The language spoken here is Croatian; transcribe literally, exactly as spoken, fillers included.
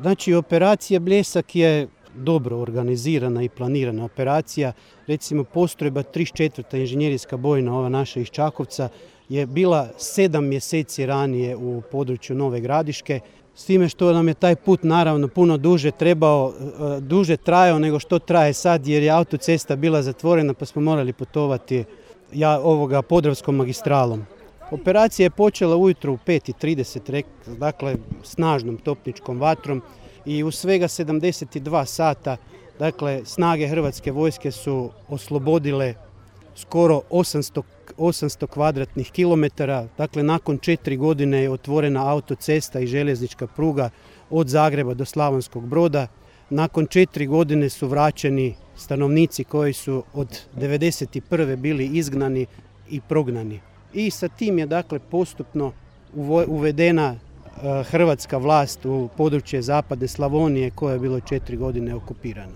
Znači, operacija Bljesak je dobro organizirana i planirana operacija. Recimo, postrojba trideset četvrta inženjerijska bojna, ova naša iz Čakovca, je bila sedam mjeseci ranije u području Nove Gradiške, s time što nam je taj put naravno puno duže trebao, duže trajao nego što traje sad, jer je autocesta bila zatvorena pa smo morali putovati ja, ovoga Podravskom magistralom. Operacija je počela ujutro u pet i trideset, dakle snažnom topničkom vatrom i u svega sedamdeset dva sata, dakle snage Hrvatske vojske su oslobodile skoro osamsto, osamsto kvadratnih kilometara. Dakle, nakon četiri godine je otvorena autocesta i željeznička pruga od Zagreba do Slavonskog Broda. Nakon četiri godine su vraćeni stanovnici koji su od devedeset prve bili izgnani i prognani. I sa tim je dakle postupno uvedena hrvatska vlast u područje zapadne Slavonije koje je bilo četiri godine okupirano.